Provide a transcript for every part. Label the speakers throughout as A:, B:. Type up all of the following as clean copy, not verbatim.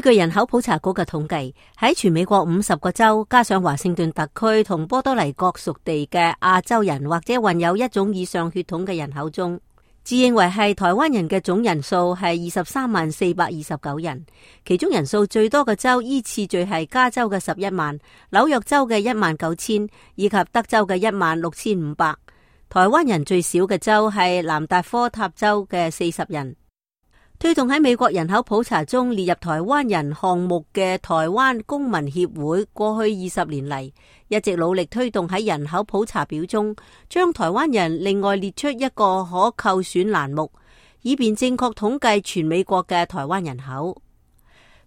A: 據人口普查局嘅統計，喺全美國50個州，加上華盛頓特區同波多黎各屬地嘅亞洲人或者患有一種以上血統嘅人口中，自認為係台灣人嘅總人數係23,429人，其中人數最多嘅州依次序係加州嘅11萬、紐約州嘅19,000以及德州嘅16,500。台灣人最少嘅州係南達科他州嘅40人。推動喺美國人口普查中列入台灣人項目嘅台灣公民協會，過去20年嚟一直努力推動喺人口普查表中將台灣人另外列出一個可扣選欄目，以便正確統計全美國嘅台灣人口。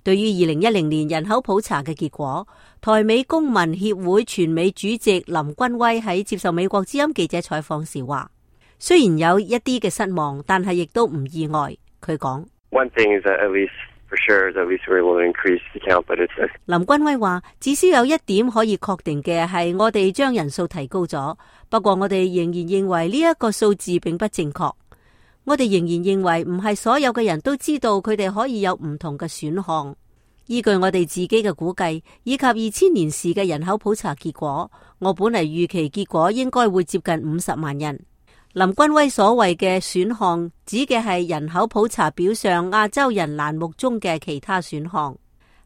A: 對於2010年人口普查嘅結果，台美公民協會全美主席林君威喺接受美國之音記者採訪時話，雖然有一啲嘅失望，但係亦都唔意外。佢講，林君威話，至少有一點可以確定嘅係，我哋將人數提高咗。不過我哋仍然認為呢一個數字並不正確。我哋仍然認為唔係所有嘅人都知道佢哋可以有唔同嘅選項。依據我哋自己嘅估計，以及2000年時嘅人口普查結果，我本嚟預期結果應該會接近50萬人。林君威所謂嘅選項指嘅係人口普查表上亞洲人欄目中嘅其他選項。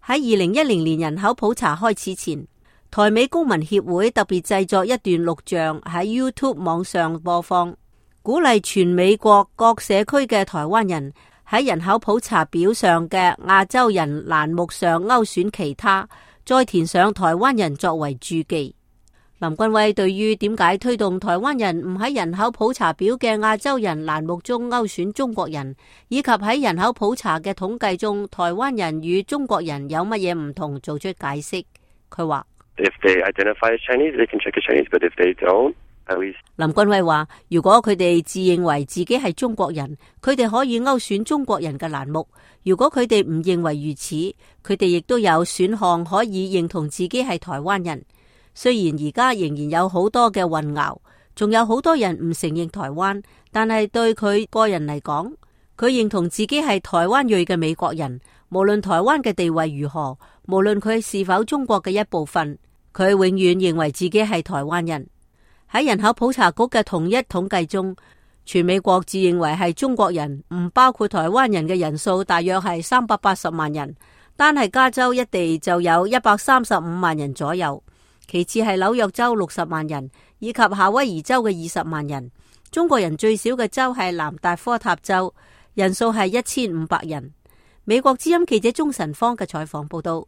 A: 喺2010年人口普查開始前，台美公民協會特別製作一段錄像喺 YouTube 網上播放，鼓勵全美國各社區嘅台灣人喺人口普查表上嘅亞洲人欄目上勾選其他，再填上台灣人作為注記。林君威對於點解推動台灣人唔喺人口普查表嘅亞洲人欄目中勾選中國人，以及喺人口普查嘅統計中台灣人與中國人有乜嘢唔同，做出解釋。佢話林君威話，如果佢哋自認為自己係中國人，佢哋可以勾選中國人嘅欄目；如果佢哋唔認為如此，佢哋亦都有選項可以認同自己係台灣人。雖然而家仍然有好多嘅混淆，仲有好多人唔承認台灣，但係對佢個人嚟講，佢認同自己係台灣裔嘅美國人。無論台灣嘅地位如何，無論佢是否中國嘅一部分，佢永遠認為自己係台灣人。喺人口普查局嘅統一統計中，全美國自認為係中國人，唔包括台灣人嘅人數大約係380萬人，單係加州一地就有135萬人左右。其次係紐約州60萬人，以及夏威夷州嘅20萬人。中國人最少嘅州係南達科他州，人數係1500人。美國之音記者鍾晨芳嘅採訪報道。